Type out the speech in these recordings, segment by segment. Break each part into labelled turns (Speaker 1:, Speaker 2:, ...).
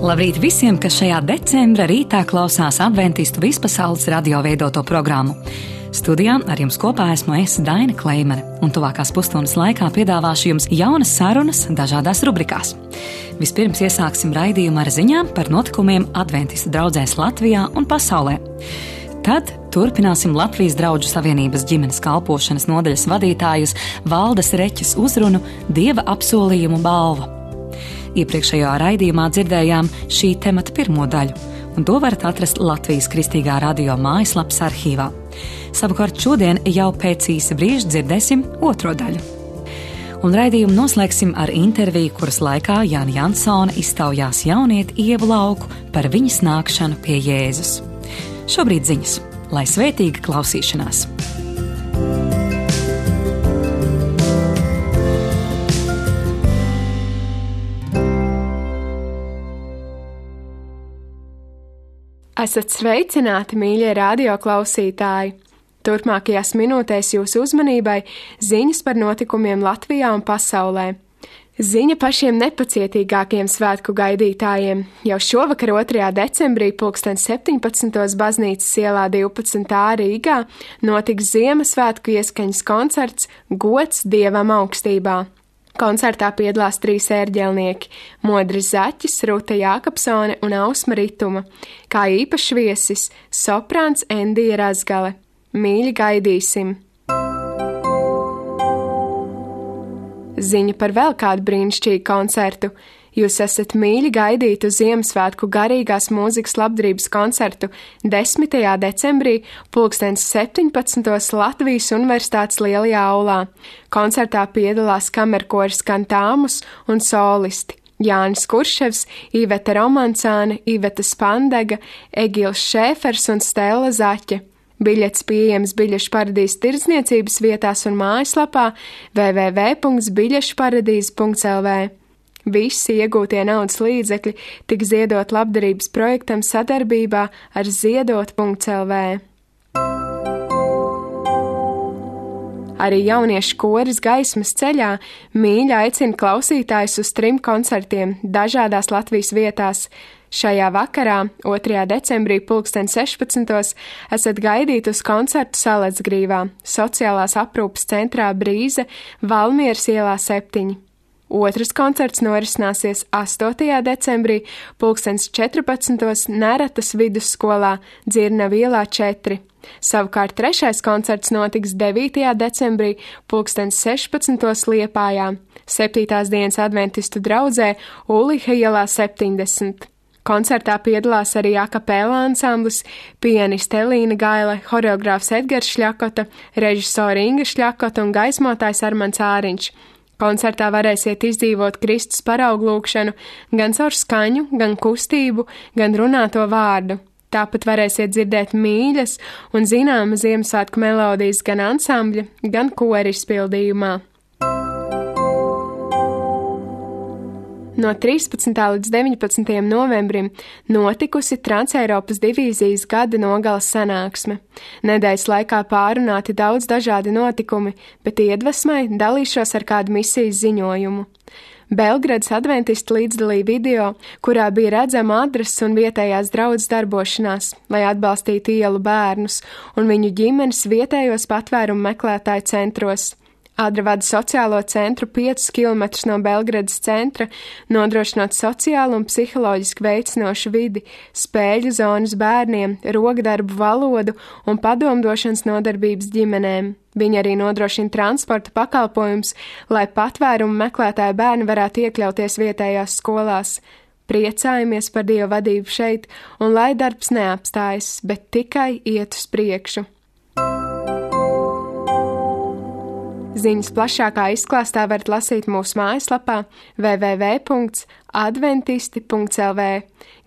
Speaker 1: Labrīt visiem, kas šajā decembra rītā klausās Adventistu vispasaules radio veidoto programmu. Studijā ar jums kopā esmu es, Daina Kleimere, un tuvākās pusstundas laikā piedāvāšu jums jaunas sarunas dažādās rubrikās. Vispirms iesāksim raidījumu ar ziņām par notikumiem Adventistu draudzēs Latvijā un pasaulē. Tad turpināsim Latvijas Draugu savienības ģimenes kalpošanas nodaļas vadītājas Valdes Reķes uzrunu Dieva apsolījumu balva. Iepriekšējā raidījumā dzirdējām šī temata pirmo daļu, un to varat atrast Latvijas Kristīgā radio mājaslapas arhīvā. Savukārt šodien jau pēc īsa brīža dzirdēsim otro daļu. Un raidījumu noslēgsim ar interviju, kuras laikā Jāna Jansone iztaujās jaunieti Ievu Lauku par viņas nākšanu pie Jēzus. Šobrīd ziņas, lai svētīga klausīšanās!
Speaker 2: Esat sveicināti, mīļie radioklausītāji! Turpmākajās minūtēs jūsu uzmanībai ziņas par notikumiem Latvijā un pasaulē. Ziņa pašiem nepacietīgākiem svētku gaidītājiem. Jau šovakar 2. decembrī 17. baznīcas ielā 12. Rīgā notiks Ziemassvētku ieskaņas koncerts Gods Dievam augstībā. Koncertā piedalās 3 ērģelnieki – Modris Zaķis, Ruta Jākapsone un Ausma Rituma, kā īpašs viesis soprāns Endija Razgale. Mīļi gaidīsim! Ziņa par vēl kādu brīnišķīgu koncertu. Jūs esat mīļi gaidīti uz Ziemassvētku garīgās mūzikas labdarības koncertu 10. decembrī 17. Latvijas Universitātes lielajā aulā. Koncertā piedalās kamerkoris Kantāmus un solisti Jānis Kurševs, Iveta Romancāne, Iveta Spandega, Egils Šēfers un Stella Zaķe. Biļets pieejams Biļešu paradīzes tirdzniecības vietās un mājaslapā www.biļešparadīze.lv. Visi iegūtie naudas līdzekļi tika ziedot labdarības projektam sadarbībā ar ziedot.lv. Arī jauniešu koris Gaismas ceļā mīļi aicina klausītājus uz 3 koncertiem dažādās Latvijas vietās. Šajā vakarā, 2. decembrī 16. esat gaidīti uz koncertu Salacgrīvā, sociālās aprūpes centrā Brīze, Valmieras ielā 7. Otrs koncerts norisināsies 8. decembrī 14. Neratas vidusskolā Dzirnavu ielā 4. Savukārt 3. koncerts notiks 9. decembrī 16. Liepājā, 7. dienas adventistu draudzē Uliha ielā 70. Koncertā piedalās arī akapēlā ansamblis, pianiste Elīna Gaile, horeogrāfs Edgars Šļakota, režisori Inga Šļakota un gaismotājs Armands Āriņš. Koncertā varēsiet izdzīvot Kristus parauglūkšanu gan caur skaņu, gan kustību, gan runāto vārdu. Tāpat varēsiet dzirdēt mīļas un zināmas Ziemassvētku melodijas gan ansambļa, gan kora izpildījumā. No 13. līdz 19. novembrim notikusi Transeiropas divīzijas gada nogales sanāksme. Nedēļas laikā pārunāti daudz dažādi notikumi, bet iedvesmai dalīšos ar kādu misijas ziņojumu. Belgradas adventisti līdzdalīja video, kurā bija redzama adrese un vietējās draudzes darbošanās, lai atbalstītu ielu bērnus un viņu ģimenes vietējos patvērumu meklētāju centros. Adra vada sociālo centru 5 km no Belgradas centra, nodrošinot sociālu un psiholoģiski veicinošu vidi, spēļu zonas bērniem, rokdarbu valodu un padomdošanas nodarbības ģimenēm. Viņi arī nodrošina transporta pakalpojumus, lai patvērumu meklētāju bērni varētu iekļauties vietējās skolās. Priecājamies par Dieva vadību šeit, un lai darbs neapstājas, bet tikai iet uz priekšu. Ziņas plašākā izklāstā varat lasīt mūsu mājaslapā www.adventisti.lv.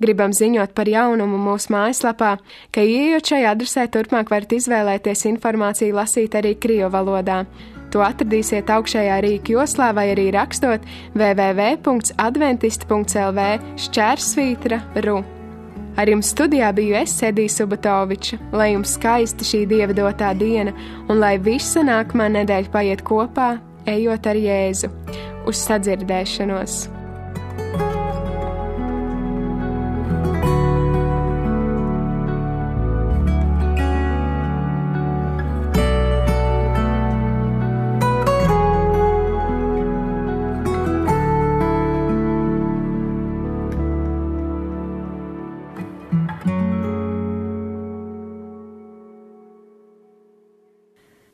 Speaker 2: Gribam ziņot par jaunumu mūsu mājaslapā, ka ieejot šajā adresē turpmāk varat izvēlēties informāciju lasīt arī krievu valodā. To atradīsiet augšējā rīka joslā vai arī rakstot www.adventisti.lv/ru. Ar jums studijā biju es, Edija Subatoviča, lai jums skaisti šī Dieva dotā diena un lai visa nākamā nedēļa paiet kopā, ejot ar Jēzu. Uz sadzirdēšanos!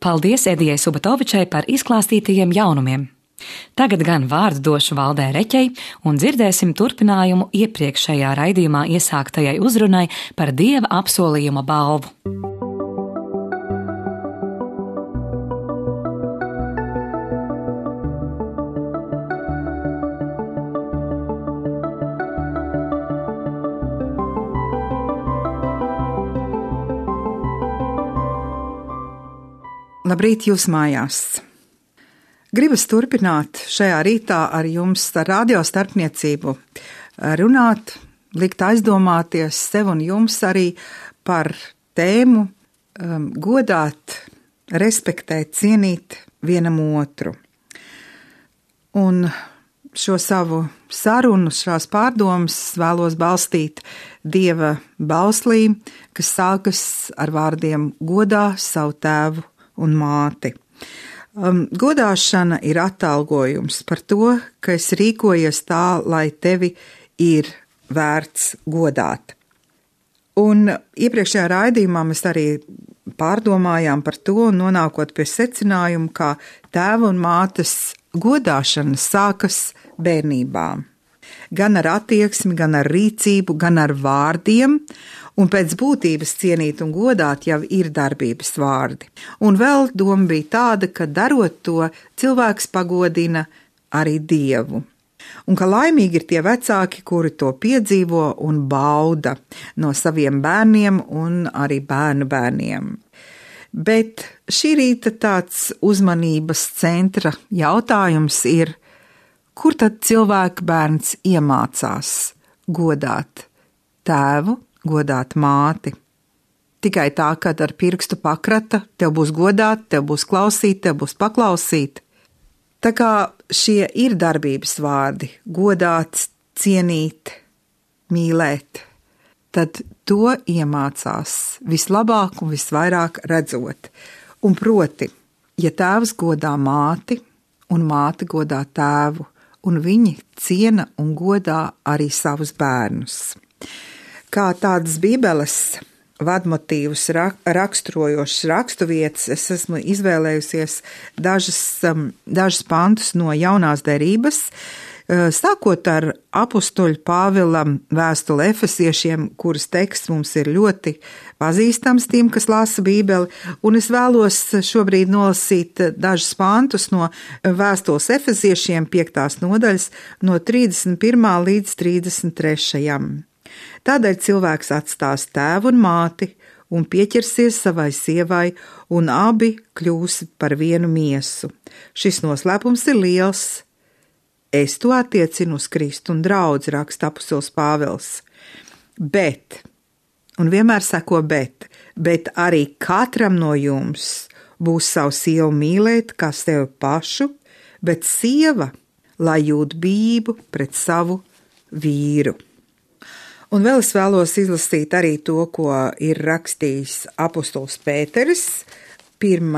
Speaker 1: Paldies Edijai Subatovičai par izklāstītajiem jaunumiem. Tagad gan vārdu došu Valdē Reķei un dzirdēsim turpinājumu iepriekšējā raidījumā iesāktajai uzrunai par Dieva apsolījuma balvu.
Speaker 3: Labrīt jūs mājās! Gribas turpināt šajā rītā ar jums ar radio starpniecību runāt, likt aizdomāties sev un jums arī par tēmu godāt, respektēt, cienīt vienam otru. Un šo savu sarunu, šās pārdomas vēlos balstīt Dieva bauslī, kas sākas ar vārdiem godā savu tēvu un māti. Godāšana ir atalgojums par to, ka es rīkojies tā, lai tevi ir vērts godāt. Un iepriekšējā raidījumā mēs arī pārdomājām par to un nonākot pie secinājuma, ka tēva un mātes godāšana sākas bērnībā. Gan ar attieksmi, gan ar rīcību, gan ar vārdiem, un pēc būtības cienīt un godāt jau ir darbības vārdi. Un vēl doma bija tāda, ka darot to, cilvēks pagodina arī Dievu. Un ka laimīgi ir tie vecāki, kuri to piedzīvo un bauda no saviem bērniem un arī bērnu bērniem. Bet šī rīta tāds uzmanības centra jautājums ir, kur tad cilvēka bērns iemācās godāt tēvu, godāt māti? Tikai tā, kad ar pirkstu pakrata, tev būs godāt, tev būs klausīt, tev būs paklausīt. Tā kā šie ir darbības vārdi, godāt, cienīt, mīlēt, tad to iemācās vislabāk un visvairāk redzot. Un proti, ja tēvs godā māti un māte godā tēvu, un viņi ciena un godā arī savus bērnus. Kā tādas Bībeles vadmotīvus raksturojošas raksturvietas, es esmu izvēlējusies dažas pantus no Jaunās derības, sākot ar apustuļa Pāvila vēstuli Efesiešiem, kuras teksts mums ir ļoti pazīstams tiem, kas lasa Bībeli, un es vēlos šobrīd nolasīt dažus pantus no vēstules Efesiešiem 5. nodaļas no 31. līdz 33. Tādēļ cilvēks atstās tēvu un māti un pieķersies savai sievai, un abi kļūs par vienu miesu. Šis noslēpums ir liels. Es to attiecinu uz Kristu un draudzi, raksta apustulis Pāvils. Bet, un vienmēr seko bet arī katram no jums būs savu sievu mīlēt kā sevi pašu, bet sieva, lai jūt bību pret savu vīru. Un vēl es vēlos izlasīt arī to, ko ir rakstījis apustulis Pēteris, 1.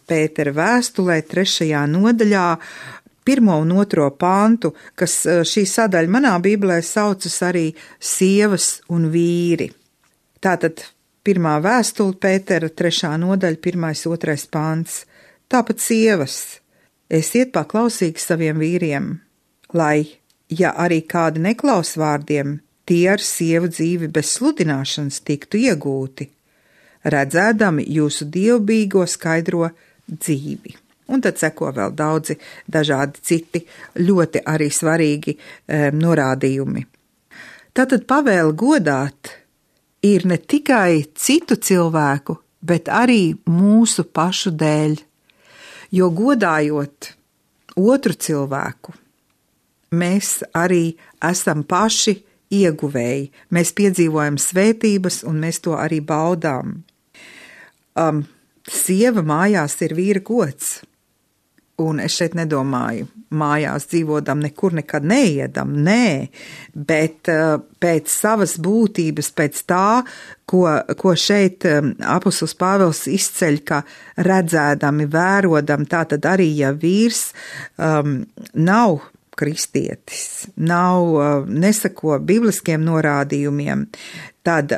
Speaker 3: Pētera vēstulē, 3. nodaļā, 1. un 2. pantu, kas šī sadaļa manā Bībelē saucas arī sievas un vīri. Tātad 1. vēstule Pētera, 3. nodaļa, 1. 2. pants. Tāpat sievas, esiet paklausīgi saviem vīriem, lai, ja arī kādi neklaus vārdiem, tie ar sievu dzīvi bez sludināšanas tiktu iegūti, redzēdami jūsu dievbijīgo skaidro dzīvi. Un tad seko vēl daudzi dažādi citi ļoti arī svarīgi norādījumi. Tātad pavēle godāt ir ne tikai citu cilvēku, bet arī mūsu pašu dēļ, jo godājot otru cilvēku, mēs arī esam paši ieguvēji, mēs piedzīvojam svētības un mēs to arī baudām. Sieva mājās ir vīra gods, un es šeit nedomāju, mājās dzīvodam nekur nekad neiedam, nē, bet pēc savas būtības, pēc tā, ko šeit apustulis Pāvils izceļ, ka redzēdami, vērodam, tātad arī, ja vīrs nav kristietis, nesako bibliskiem norādījumiem, tad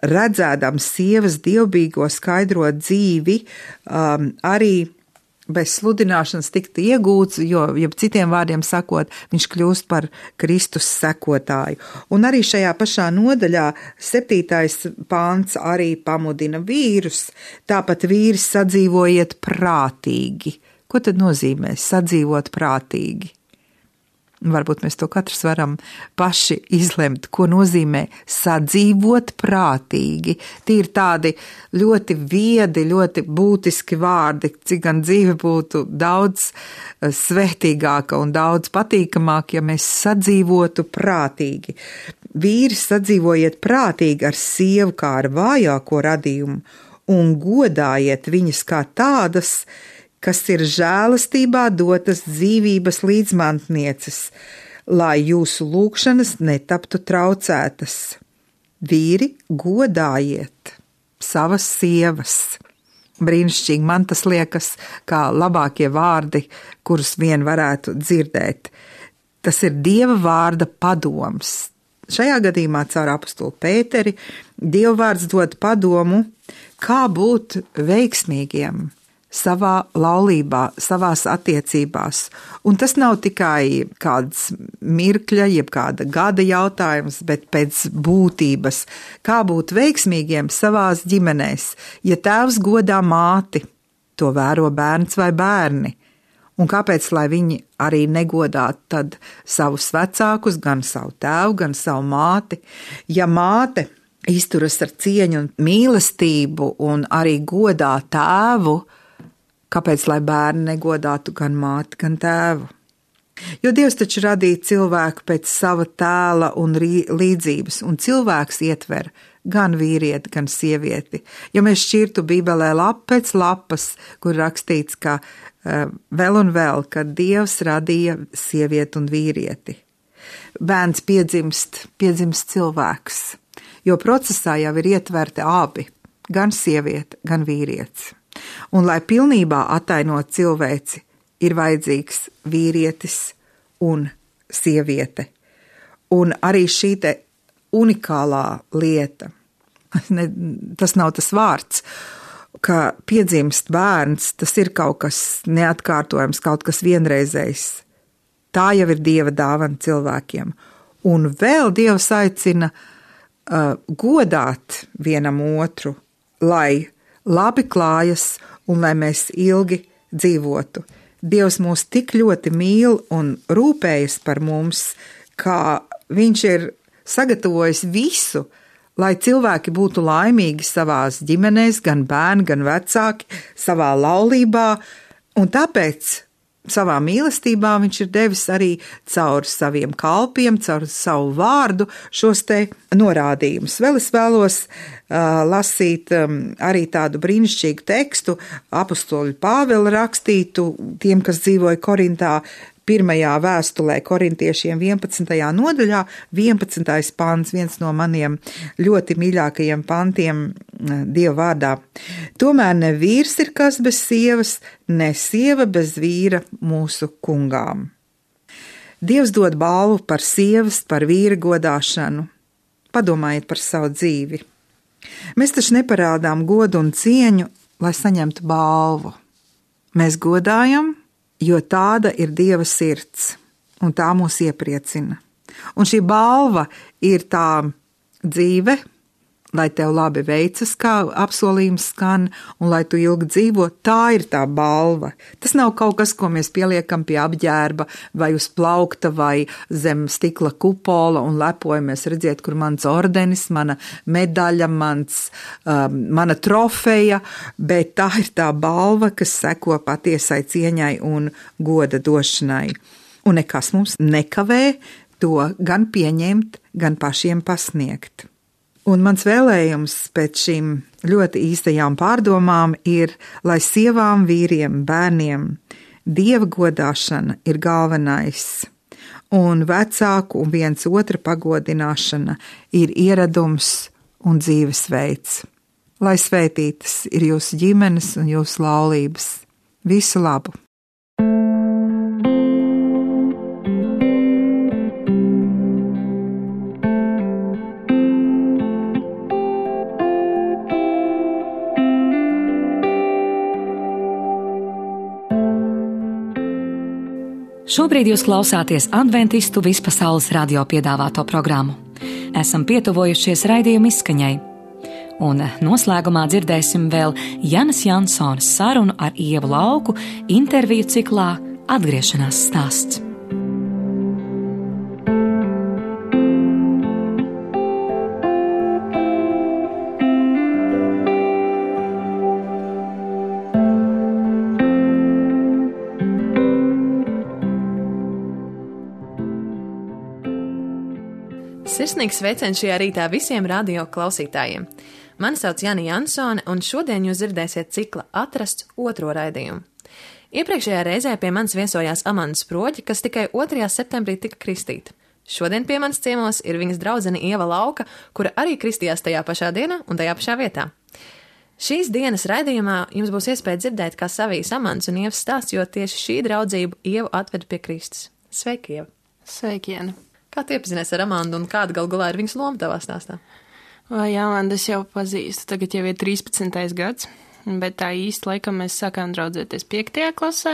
Speaker 3: redzēdam sievas dievbijīgo skaidro dzīvi, arī bez sludināšanas tikt iegūts, jo, citiem vārdiem sakot, viņš kļūst par Kristus sekotāju. Un arī šajā pašā nodaļā 7. pāns arī pamudina vīrus, tāpat vīri sadzīvojiet prātīgi. Ko tad nozīmē sadzīvot prātīgi? Varbūt mēs to katrs varam paši izlemt, ko nozīmē sadzīvot prātīgi. Tie ir tādi ļoti viedi, ļoti būtiski vārdi, cik gan dzīve būtu daudz svētīgāka un daudz patīkamāka, ja mēs sadzīvotu prātīgi. Vīri sadzīvojiet prātīgi ar sievu kā ar vājāko radījumu un godājiet viņas kā tādas, kas ir žēlastībā dotas dzīvības līdzmantnieces, lai jūsu lūgšanas netaptu traucētas. Vīri, godājiet savas sievas. Brīnišķīgi, man tas liekas kā labākie vārdi, kurus vien varētu dzirdēt. Tas ir Dieva vārda padoms. Šajā gadījumā caur apostulu Pēteri Dieva vārds dod padomu, kā būt veiksmīgiem savā laulībā, savās attiecībās. Un tas nav tikai kāds mirkļa, jeb kāda gada jautājums, bet pēc būtības, kā būt veiksmīgiem savās ģimenēs. Ja tēvs godā māti, to vēro bērns vai bērni. Un kāpēc, lai viņi arī negodātu tad savus vecākus, gan savu tēvu, gan savu māti? Ja māte izturas ar cieņu un mīlestību un arī godā tēvu, kāpēc, lai bērni negodātu gan māti, gan tēvu? Jo Dievs taču radīja cilvēku pēc sava tēla un līdzības, un cilvēks ietver gan vīrieti, gan sievieti. Ja mēs šķirtu Bībelē lapu pēc lapas, kur rakstīts, ka vēl un vēl, kad Dievs radīja sievieti un vīrieti. Bērns piedzimst cilvēks, jo procesā jau ir ietverti abi, gan sieviete, gan vīrietis. Un, lai pilnībā attainot cilvēci, ir vajadzīgs vīrietis un sieviete. Un arī šī te unikālā lieta, tas nav tas vārds, ka piedzimst bērns, tas ir kaut kas neatkārtojams, kaut kas vienreizējs. Tā jau ir Dieva dāvana cilvēkiem. Un vēl Dievs aicina godāt vienam otru, lai labi klājas un lai mēs ilgi dzīvotu. Dievs mūs tik ļoti mīl un rūpējas par mums, kā viņš ir sagatavojis visu, lai cilvēki būtu laimīgi savās ģimenēs, gan bērni, gan vecāki, savā laulībā, un tāpēc savā mīlestībā viņš ir devis arī caur saviem kalpiem, caur savu vārdu šos te norādījumus. Vēl es vēlos lasīt arī tādu brīnišķīgu tekstu, apostoļu Pāvela rakstītu tiem, kas dzīvoja Korintā, 1. vēstulē korintiešiem 11. nodaļā, 11. pants, viens no maniem ļoti mīļākajiem pantiem Dieva vārdā. Tomēr ne vīrs ir kas bez sievas, ne sieva bez vīra mūsu kungām. Dievs dod balvu par sievas, par vīra godāšanu. Padomājiet par savu dzīvi. Mēs taču neparādām godu un cieņu, lai saņemtu balvu. Mēs godājam, jo tāda ir Dieva sirds, un tā mūs iepriecina. Un šī balva ir tā dzīve, lai tev labi veicas, kā apsolījums skan, un lai tu ilgi dzīvo, tā ir tā balva. Tas nav kaut kas, ko mēs pieliekam pie apģērba, vai uz plaukta, vai zem stikla kupola, un lepojamies, redziet, kur mans ordenis, mana medaļa, mana trofeja, bet tā ir tā balva, kas seko patiesai cieņai un goda došanai. Un nekas mums nekavē to gan pieņemt, gan pašiem pasniegt. Un mans vēlējums pēc šīm ļoti īstajām pārdomām ir, lai sievām, vīriem, bērniem Dieva godāšana ir galvenais, un vecāku un viens otra pagodināšana ir ieradums un dzīvesveids. Lai svētītas ir jūsu ģimenes un jūsu laulības. Visu labu!
Speaker 1: Šobrīd jūs klausāties Adventistu vispasaules radio piedāvāto programmu. Esam pietuvojušies raidījuma izskaņai. Un noslēgumā dzirdēsim vēl Janas Jansonas sarunu ar Ievu Lauku interviju ciklā Atgriešanās stāsts.
Speaker 4: Sirsnīgs sveiciens šajā rītā visiem radio klausītājiem. Mani sauc Jana Jansone, un šodien jūs dzirdēsiet cikla Atrasts otro raidījumu. Iepriekšējā reizē pie manis viesojās Amanda Sproģe, kas tikai 2. septembrī tika kristīta. Šodien pie manis ciemos ir viņas draudzene Ieva Lauka, kura arī kristījās tajā pašā dienā un tajā pašā vietā. Šīs dienas raidījumā jums būs iespēja dzirdēt, kā savijas Amandas un Ievas stāsts, jo tieši šī draudzība Ievu atveda pie Kristus. Sveiki, Ieva!
Speaker 5: Sveiki, Jana!
Speaker 4: Kā tu iepazinies ar Amandu un kāda galu galā ir viņas loma tavā stāstā?
Speaker 5: Vai Amandu es jau pazīstu, tagad jau ir 13. gads, bet tā īsti laikam mēs sākām draudzēties 5. klasē,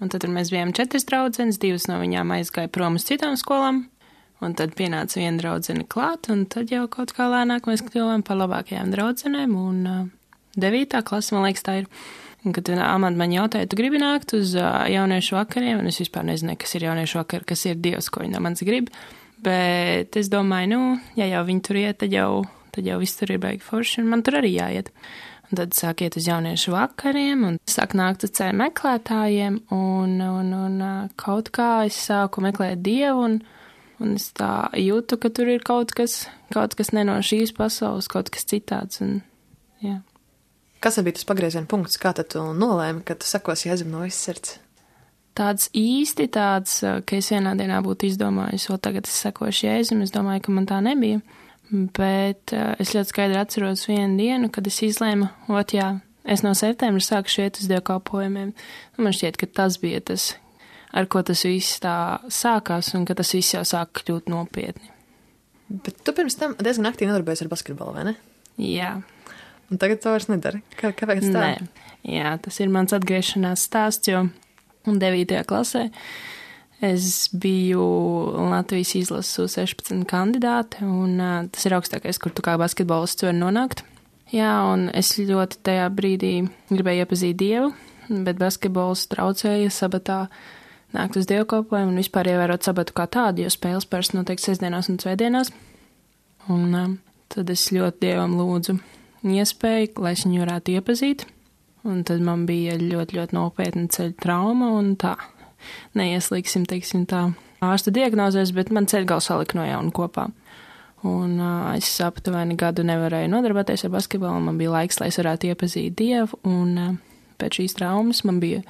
Speaker 5: un tad mēs bijām 4 draudzenes, 2 no viņām aizgāja prom uz citām skolām, un tad pienāca viena draudzene klāt, un tad jau kaut kā lēnāk mēs kļuvām par labākajām draudzenēm, un 9. klase, man liekas, tā ir. Un, kad Amanda man jautāja, tu gribi nākt uz jauniešu vakariem, un es vispār nezināju, kas ir jauniešu vakar, kas ir Dievs, ko viņa no manis grib. Bet es domāju, ja jau viņi tur iet, tad jau viss tur ir baigi forši, un man tur arī jāiet. Un tad sāk iet uz jauniešu vakariem, un sāk nākt uz ceļu meklētājiem, un kaut kā es sāku meklēt Dievu, un es tā jūtu, ka tur ir kaut kas ne no šīs pasaules, kaut kas citāds, un jā.
Speaker 4: Kas bija tas pagrieziena punkts, kā tad tu nolēmi, ka tu sakosi Jēzum no visas sirds?
Speaker 5: Tāds, ka es vienā dienā būtu izdomājis, o tagad es sakošu Jēzum, es domāju, ka man tā nebija, bet es ļoti skaidri atceros vienu dienu, kad es izlēmu, es no septembra sākušu iet uz dievkalpojumiem. Man šķiet, ka tas bija tas, ar ko tas viss tā sākās, un ka tas viss jau sāk kļūt nopietni.
Speaker 4: Bet tu pirms tam diezgan aktīvi nodarbojies ar basketbolu, vai ne?
Speaker 5: Jā.
Speaker 4: Un tagad to vairs nedari. Kāpēc tā?
Speaker 5: Nē, jā, tas ir mans atgriešanās stāsts, jo 9. klasē es biju Latvijas izlases U16 kandidāte, un tas ir augstākais, kur tu kā basketbolists var nonākt. Jā, un es ļoti tajā brīdī gribēju iepazīt Dievu, bet basketbols traucēja sabatā nākt uz dievkalpojumu un vispār ievērot sabatu kā tādu, jo spēles parasti notiek sestdienās un svētdienās. Un tad es ļoti Dievam lūdzu iespēju, lai es viņu varētu iepazīt, un tad man bija ļoti, ļoti nopietna ceļa trauma, un tā, neieslīgsim, teiksim tā, ārsta diagnozēs, bet man ceļgals salika no jauna kopā. Un es aptuveni gadu nevarēju nodarboties ar basketbolu, man bija laiks, lai es varētu iepazīt Dievu, un pēc šīs traumas man bija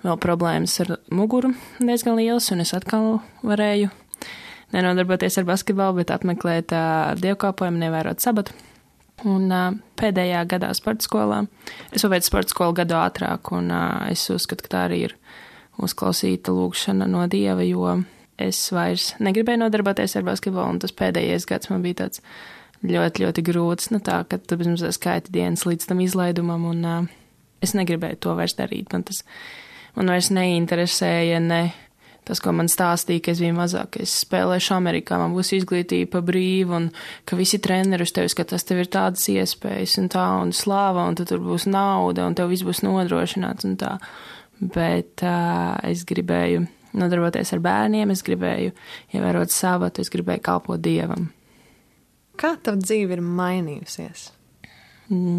Speaker 5: vēl problēmas ar muguru diezgan lielas, un es atkal varēju nenodarboties ar basketbolu, bet apmeklēt dievkalpojumu, nevērot sabatu. Un pēdējā gadā sporta skolā, es paveicu sporta skolu gadu ātrāk, un es uzskatu, ka tā arī ir uzklausīta lūgšana no Dieva, jo es vairs negribēju nodarboties ar basketbolu, un tas pēdējais gads man bija tāds ļoti, ļoti grūts, tā, ka tu bez mazliet skaiti dienas līdz tam izlaidumam, un es negribēju to vairs darīt. Man vairs neinteresēja tas, ko man stāstīja, ka es biju mazāk, ka es spēlēšu Amerikā, man būs izglītība pa brīvu, un ka visi treneri uz tevi skatās, tev ir tādas iespējas, un slāva, un tur būs nauda, un tev viss būs nodrošināts, un tā. Bet es gribēju nodarboties ar bērniem, es gribēju ievērot sabatu, es gribēju kalpot Dievam.
Speaker 4: Kā tava dzīve ir mainījusies?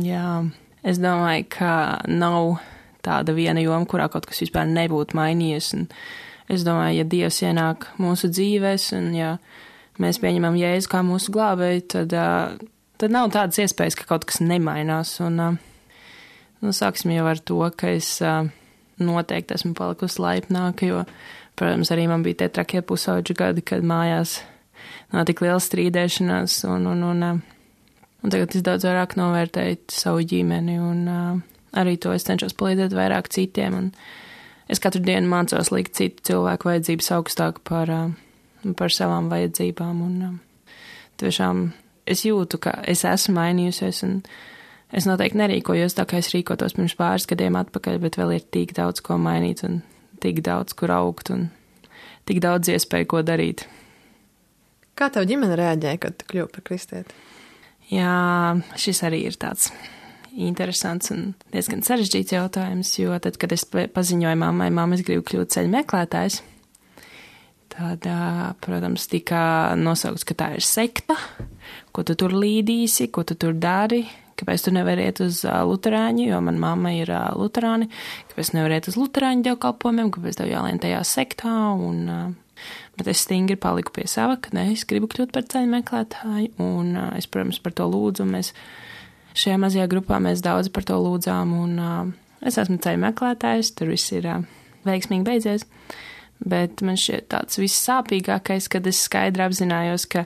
Speaker 5: Jā, es domāju, ka nav tāda viena joma, kurā kaut kas vispār nebūtu mainījies, un es domāju, ja Dievs ienāk mūsu dzīvēs, un ja mēs pieņemam Jēzu kā mūsu glābēju, tad nav tādas iespējas, ka kaut kas nemainās. Un sāksim jau ar to, ka es noteikti esmu palikusi laipnāka, jo, protams, arī man bija tie trakie pusauģu gadi, kad mājās nav tik liela strīdēšanās, un tagad es daudz vairāk novērtēju savu ģimeni, un arī to es cenšos palīdzēt vairāk citiem, un es katru dienu mācos likt citu cilvēku vajadzības augstāk par savām vajadzībām, un tiešām es jūtu, ka es esmu mainījusies, un es noteikti nerīkojos tā, kā es rīkotos pirms pāris gadiem atpakaļ, bet vēl ir tik daudz ko mainīt un tik daudz, kur augt, un tik daudz iespēju, ko darīt.
Speaker 4: Kā tev ģimene reaģēja, kad tu kļuvi par kristieti?
Speaker 5: Jā, šis arī ir tāds interesants un diezgan sarežģīts jautājums, jo tad, kad es paziņoju mammai, es gribu kļūt ceļu meklētājs, tad, protams, tika nosaukts, ka tā ir sekta, ko tu tur līdīsi, ko tu tur dari, kāpēc tu nevari iet uz luterāņu, jo man mamma ir luterāni, kāpēc nevar iet uz luterāņu dievkalpojumiem, kāpēc tev jālien tajā sektā, bet es stingri paliku pie sava, ka ne, es gribu kļūt par ceļu meklētāju, un es, protams, par to lūdzu, un mēs šajā mazajā grupā mēs daudz par to lūdzām, un es esmu ceļu meklētājs, tur viss ir veiksmīgi beidzies, bet man šķiet tāds vissāpīgākais, kad es skaidri apzinājos, ka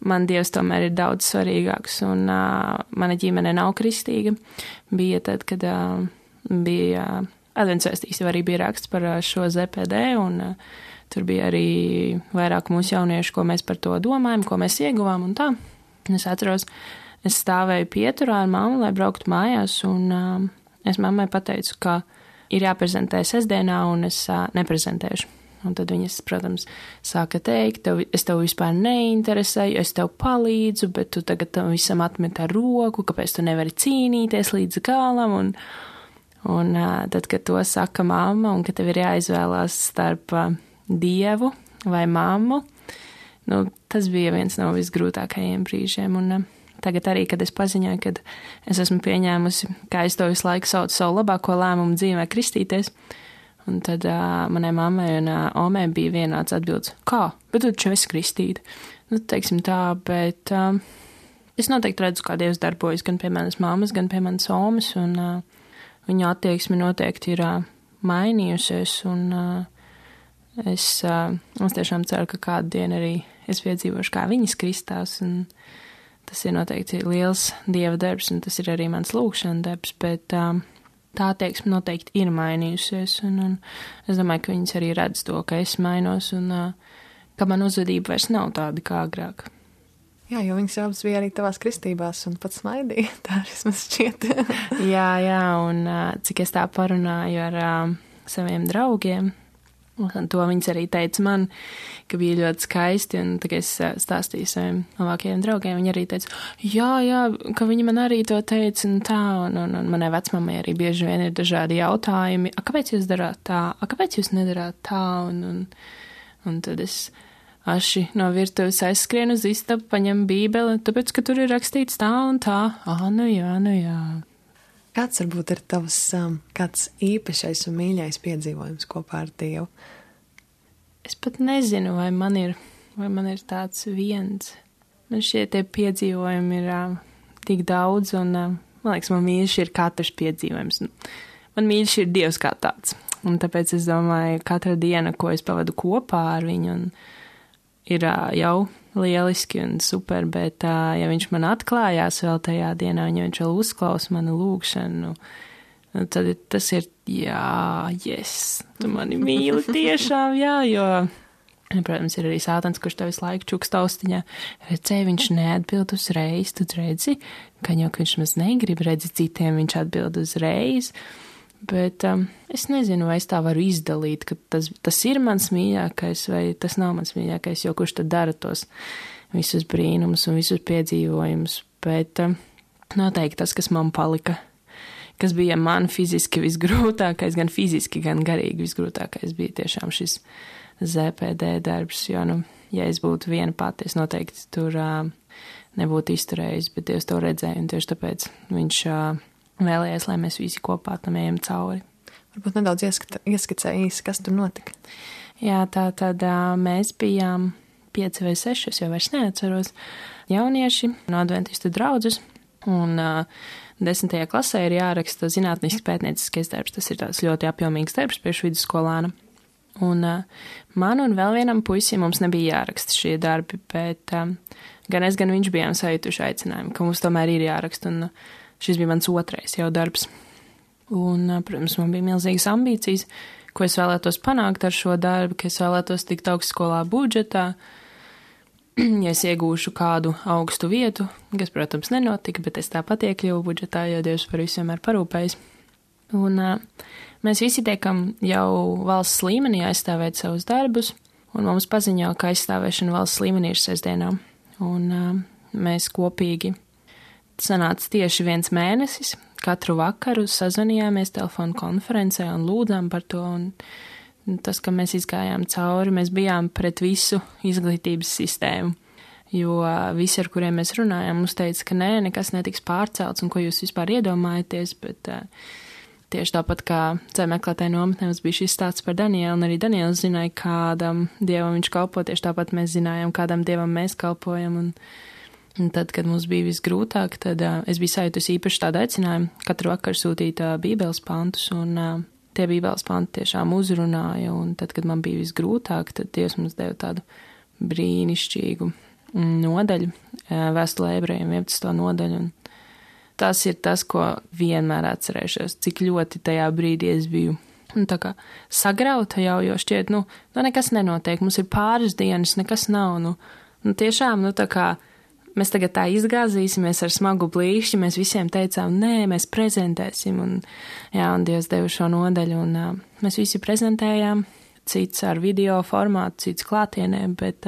Speaker 5: man Dievs tomēr ir daudz svarīgāks, un mana ģimene nav kristīga. Bija tad, kad bija adventsvēstīs, jau arī bija raksts par šo ZPD, un tur bija arī vairāk mūsu jauniešu, ko mēs par to domājam, ko mēs ieguvām un tā. Es atceros, es stāvēju pieturā ar mammu, lai brauktu mājās, un es mammai pateicu, ka ir jāprezentē sestdienā, un es neprezentēšu. Un tad viņas, protams, sāka teikt, es tev vispār neinteresēju, es tev palīdzu, bet tu tagad tam visam atmet ar roku, kāpēc tu nevari cīnīties līdz galam, un tad, kad to saka mamma, un ka tev ir jāizvēlās starp Dievu vai mammu, tas bija viens no visgrūtākajiem brīžiem, un tagad arī, kad es paziņoju, kad es esmu pieņēmusi, kā es to visu laiku saucu savu labāko lēmumu dzīvē kristīties, un tad manai mammai un omē bija vienāds atbildes, kā, bet tu taču esi kristīta. Teiksim tā, bet es noteikti redzu, kā Dievs darbojas gan pie manas mammas, gan pie manas omas, un viņa attieksme noteikti ir mainījusies, un es tiešām ceru, ka kādu dienu arī es piedzīvošu, kā viņas kristās, un tas ir noteikti liels Dieva darbs, un tas ir arī mans lūgšana darbs, bet tā attieksme noteikti ir mainījusies, un es domāju, ka viņas arī redz to, ka es mainos, un ka man uzvedība vairs nav tāda kā agrāk.
Speaker 4: Jā, jo viņas abas bija arī tavās kristībās un pats smaidīja, tā vismaz šķiet.
Speaker 5: jā, un cik es tā parunāju ar saviem draugiem, un to viņas arī teica man, ka bija ļoti skaisti, un tā kā es stāstīju saviem labākajiem draugiem, viņi arī teica, jā, ka viņi man arī to teica, un tā, un manai vecmamai arī bieži vien ir dažādi jautājumi, kāpēc jūs darāt tā, kāpēc jūs nedarāt tā, un tad es aši no virtuves aizskrienu uz istabu, paņem bībeli, tāpēc, ka tur ir rakstīts tā un tā, nu jā.
Speaker 4: Kāds varbūt ir tavs kāds īpašais un mīļais piedzīvojums kopā ar Dievu?
Speaker 5: Es pat nezinu, vai man ir tāds viens. Man šie tie piedzīvojumi ir tik daudz, un man liekas, man mīļš ir katrs piedzīvojums. Man mīļš ir Dievs kā tāds, un tāpēc es domāju, katra diena, ko es pavadu kopā ar viņu, un ir jau lieliski un super, bet ja viņš man atklājās vēl tajā dienā, ja viņš vēl uzklausa manu lūgšanu, tad tas ir, yes, tu mani mīli tiešām, jo, protams, ir arī sātans, kurš tev visu laiku čukst austiņā, redzēji, viņš neatbild uzreiz, tu redzi, ka jau, ka viņš maz negrib, redzi citiem, viņš atbild uzreiz, bet es nezinu, vai es tā varu izdalīt, ka tas ir mans mīļākais, vai tas nav mans mīļākais, jo kurš tad dara tos visus brīnumus un visus piedzīvojumus, bet noteikti tas, kas man palika, kas bija man fiziski visgrūtākais, gan fiziski, gan garīgi visgrūtākais, bija tiešām šis ZPD darbs, jo, ja es būtu viena pati, es noteikti tur nebūtu izturējis, bet Dievs to redzēja, un tieši tāpēc viņš vēlējies, lai mēs visi kopā tam ejam cauri.
Speaker 4: Varbūt nedaudz ieskicē īsi, kas tur notika.
Speaker 5: Jā, tad mēs bijām 5 vai 6, es jau vairs neatceros, jaunieši no adventistu draudzes, un 10. klasē ir jāraksta zinātnisks pētnieciskais darbs. Tas ir tāds ļoti apjomīgs darbs priekš vidusskolāna. Un man un vēl vienam puisim mums nebija jāraksta šie darbi, bet gan es, gan viņš bijām sajutuši aicinājumu, ka mums tomēr ir jāraksta, un šis bija mans otrais jau darbs. Un, protams, man bija milzīgas ambīcijas, ko es vēlētos panākt ar šo darbu, ka es vēlētos tikt augstskolā budžetā, ja es iegūšu kādu augstu vietu, kas, protams, nenotika, bet es tāpat iekļuvu budžetā, jo Dievs par visu vienmēr parūpējas. Un mēs visi tiekam jau valsts līmenī aizstāvēt savus darbus, un mums paziņo, ka aizstāvēšana valsts līmenī ir sestdienā. Un mēs kopīgi sanāca tieši 1 mēnesis, katru vakaru sazvanījāmies telefonu konferencē un lūdzām par to, un tas, ka mēs izgājām cauri, mēs bijām pret visu izglītības sistēmu, jo visi, ar kuriem mēs runājām, mums teica, ka nekas netiks pārcelts, un ko jūs vispār iedomājaties, bet tieši tāpat kā ceļu meklētāju nometnē mums bija šis stāsts par Danielu, un arī Daniels zināja, kādam dievam viņš kalpo, tieši tāpat mēs zinājām, kādam dievam mēs kalpojam, un tad, kad mums bija visgrūtāk, tad es biju sajūtusi īpaši tādu aicinājumu katru vakaru sūtīt bībeles pantus, un tie bībeles panti tiešām uzrunāja, un tad, kad man bija visgrūtāk, tad Dievs mums deva tādu brīnišķīgu nodaļu, vēstulē ebrejiem 11. nodaļu, un tas ir tas, ko vienmēr atcerēšos, cik ļoti tajā brīdī es biju tā kā sagrauta jau, jo šķiet, nekas nenotiek, mums ir pāris dienas, nekas nav, tiešām, tā kā mēs tagad tā izgāzīsimies ar smagu blīšķi, mēs visiem teicām, nē, mēs prezentēsim, un Dievs deva šo nodaļu, un mēs visi prezentējām, cits ar video formātu, cits klātienē, bet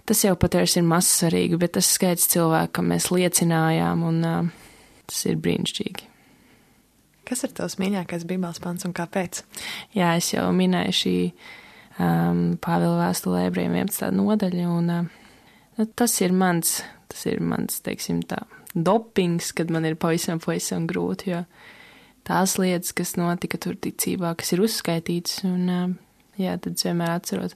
Speaker 5: tas jau patiesi ir mazsvarīgi, bet tas skaits cilvēkam mēs liecinājām, un tas ir brīnišķīgi.
Speaker 4: Kas ir tavs mīļākais bībeles pants un kāpēc?
Speaker 5: Jā, es jau minēju šī Pāvila vēstulē ebrejiem 11. nodaļa, un tas ir mans, teiksim tā, dopings, kad man ir pavisam grūti, jo tās lietas, kas notika tur ticībā, kas ir uzskaitītas, un tad es vienmēr atcerot.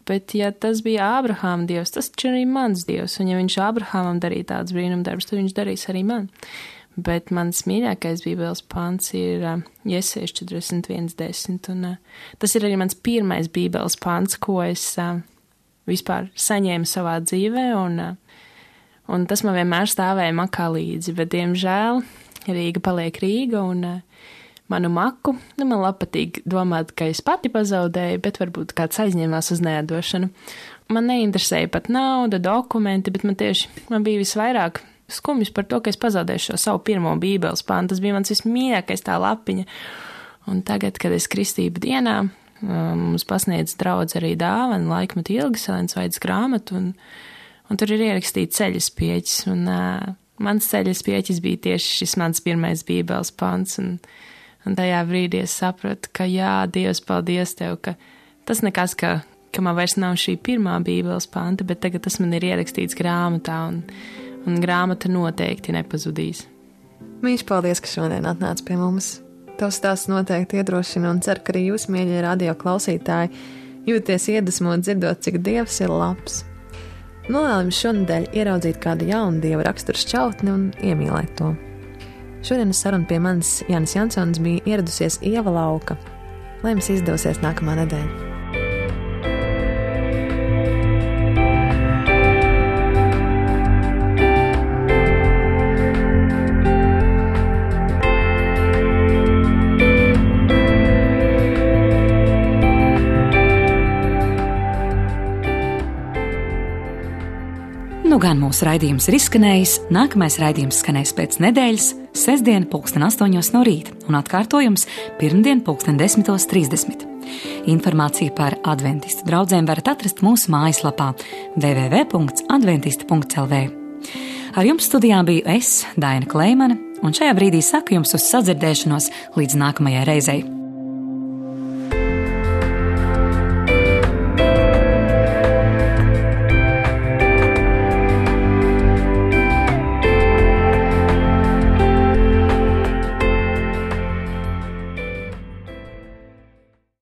Speaker 5: Bet, ja tas bija Ābrahāma Dievs, tas taču arī mans Dievs, un ja viņš Ābrahāmam darīja tāds brīnumdarbs, tad viņš darīs arī man. Bet mans mīļākais bībeles pants ir Jesajas 41:10, un tas ir arī mans pirmais bībeles pants, ko es vispār saņēmu savā dzīvē, un tas man vienmēr stāvēja makā līdzi, bet, diemžēl, Rīga paliek Rīga, un manu maku, man patīk domāt, ka es pati pazaudēju, bet varbūt kāds aizņēmās uz neatdošanu. Man neinteresēja pat nauda, dokumenti, bet man bija visvairāk skumjas par to, ka es pazaudēšu šo savu pirmo bībeles pantu. Tas bija mans vismīļākais tā lapiņa. Un tagad, kad es kristību dienā, mums pasniedz draudz arī dāvanu laikmetu ilgas Elenas Vaidas grāmatu, un tur ir ierakstīts ceļas pieķis, un mans ceļas pieķis bija tieši šis mans pirmais bībeles pants, un tajā brīdī es sapratu, ka Dievs, paldies Tev, ka tas nekas, ka man vairs nav šī pirmā bībeles panta, bet tagad tas man ir ierakstīts grāmatā, un grāmata noteikti nepazudīs.
Speaker 4: Mīļš, paldies, ka šodien atnāc pie mums. Tavs stāsts noteikti iedrošina, un ceru, ka arī jūs, mīļie radio klausītāji, jūties iedvesmot dzirdot, cik Dievs ir labs. Novēlu jums šonadēļ ieraudzīt kādu jaunu Dieva raksturu šķautni un iemīlēt to. Šodienas saruna pie manis Jānis Jansons bija ieradusies Ieva Lauka. Lai jums izdosies nākamā nedēļa.
Speaker 1: Gan mūsu raidījums ir izskanējis, nākamais raidījums skanēs pēc nedēļas, sestdien 8:00 no rīta un atkārtojums pirmdien 10:30. Informāciju par adventistu draudzēm varat atrast mūsu mājaslapā www.adventisti.lv. Ar jums studijā biju es, Daina Kleimane, un šajā brīdī saku jums uz sadzirdēšanos līdz nākamajai reizei.